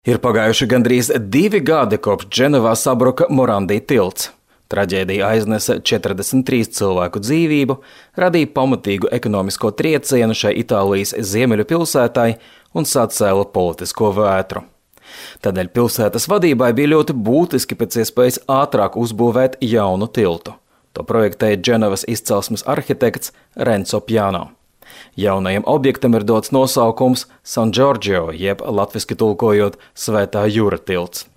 Ir pagājuši gandrīz 2 gadi, kopš Dženovā sabruka Morandi tilts. Traģēdija aiznesa 43 cilvēku dzīvību, radīja pamatīgu ekonomisko triecienu šai Itālijas ziemeļu pilsētai un sacēla politisko vētru. Tādēļ pilsētas vadībai bija ļoti būtiski pēc iespējas ātrāk uzbūvēt jaunu tiltu. To projektēja Dženovas izcelsmes arhitekts Renzo Piano. Jaunajam objektam ir dots nosaukums San Giorgio, jeb latviski tulkojot Svētā jūra tilts.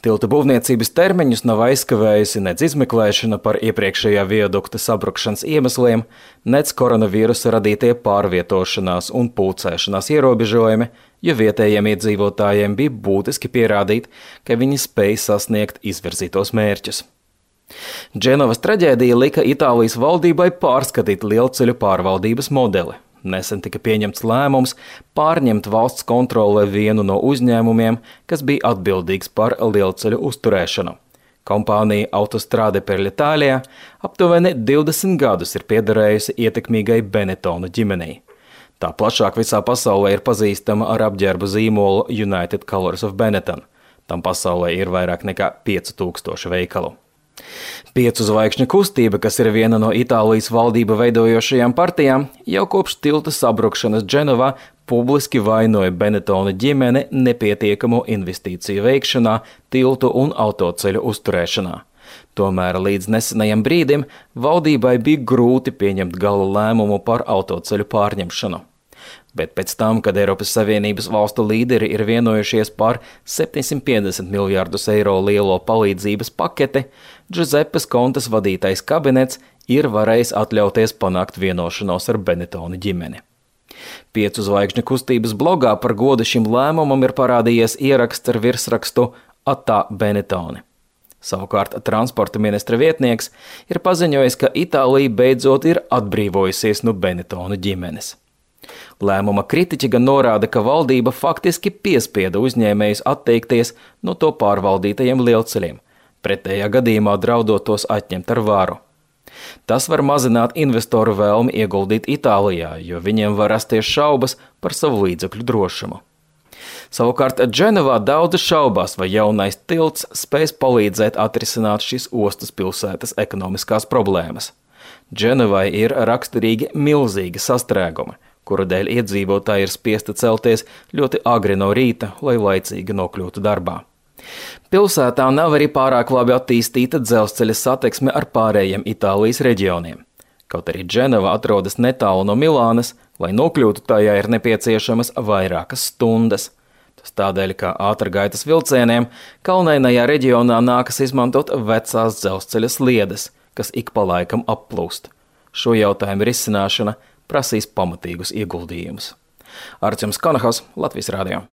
Tilta būvniecības termiņus nav aizkavējusi nec izmeklēšana par iepriekšējā viadukta sabrukšanas iemesliem, nec koronavīrusa radītie pārvietošanās un pulcēšanās ierobežojumi, jo vietējiem iedzīvotājiem bija būtiski pierādīt, ka viņi spēj sasniegt izvirzītos mērķus. Dženovas traģēdija lika Itālijas valdībai pārskatīt lielceļu pārvaldības modeli. Nesen tika pieņemts lēmums pārņemt valsts kontrolē vienu no uzņēmumiem, kas bija atbildīgs par lielceļu uzturēšanu. Kompānija Autostrade per l'Italia aptuveni 20 gadus ir piederējusi ietekmīgai Benetonu ģimenei. Tā plašāk visā pasaulē ir pazīstama ar apģērbu zīmolu United Colors of Benetton. Tam pasaulē ir vairāk nekā 5000 veikalu. 5 zvaigžņu kustība, kas ir viena no Itālijas valdību veidojošajām partijām, jau kopš tilta sabrukšanas Dženovā publiski vainoja Benetonu ģimeni nepietiekamo investīciju veikšanā, tiltu un autoceļu uzturēšanā. Tomēr līdz nesenajam brīdim valdībai bija grūti pieņemt gala lēmumu par autoceļu pārņemšanu. Bet pēc tam, kad Eiropas Savienības valstu līderi ir vienojušies par 750 miljārdus eiro lielo palīdzības paketi, Giuseppes Contes vadītais kabinets ir varējis atļauties panākt vienošanos ar Benetonu ģimeni. 5 zvaigžņu kustības blogā par godu šim lēmumam ir parādījies ieraksts ar virsrakstu Attā Benetoni. Savukārt transporta ministra vietnieks ir paziņojis, ka Itālija beidzot ir atbrīvojusies no Benetonu ģimenes. Lēmuma kritiķi gan norāda, ka valdība faktiski piespieda uzņēmējus atteikties no to pārvaldītajiem lielceļiem, pretējā gadījumā draudot tos atņemt ar varu. Tas var mazināt investoru vēlmi ieguldīt Itālijā, jo viņiem var rasties šaubas par savu līdzekļu drošumu. Savukārt Dženovā daudzi šaubās, vai jaunais tilts spēs palīdzēt atrisināt šīs ostas pilsētas ekonomiskās problēmas. Dženovai ir raksturīgi milzīgi sastrēgumi, kuru dēļ iedzīvotāji ir spiesti celties ļoti agri no rīta, lai laicīgi nokļūtu darbā. Pilsētā nav arī pārāk labi attīstīta dzelzceļa satiksme ar pārējiem Itālijas reģioniem. Kaut arī Dženova atrodas netālu no Milānas, lai nokļūtu tajā ir nepieciešamas vairākas stundas. Tas tādēļ, ka ātrgaitas vilcieniem kalnainajā reģionā nākas izmantot vecās dzelzceļa sliedes, kas ik pa laikam applūst. Šo jautājumu risināšana prasīs pamatīgus ieguldījumus. Artjoms Kanahos, Latvijas radio.